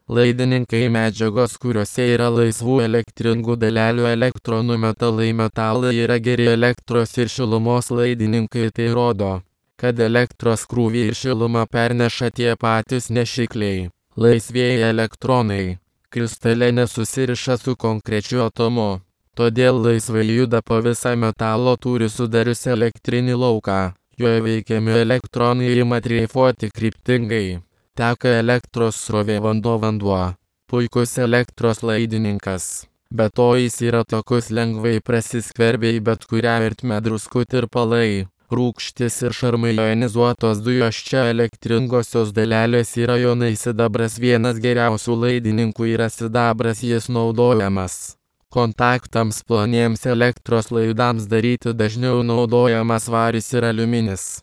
Laidininkai medžiagos, kuriuose yra laisvų elektringų dalelių elektronų metalai yra geri elektros ir šilumos laidininkai. Tai rodo, kad elektros krūvį ir šilumą perneša tie patys nešikliai. Laisvieji elektronai kristale nesusiriša su konkrečiu atomu, todėl laisvai juda po visą metalo tūrį sudarius elektrinį lauką. Joje veikiami elektronai ima dreifuoti kryptingai. Teka elektros srovė vanduo. Puikus elektros laidininkas. Be to jis yra tokus lengvai prasiskverbia į bet kurią ertmę druskų tirpalai, rūgštis ir šarmai jonizuotos dujos. Čia elektringosios dalelės yra jonai. Sidabras vienas geriausių laidininkų yra sidabras. Jis naudojamas kontaktams ploniems elektros laidams daryti. Dažniau naudojamas varis ir aliuminis.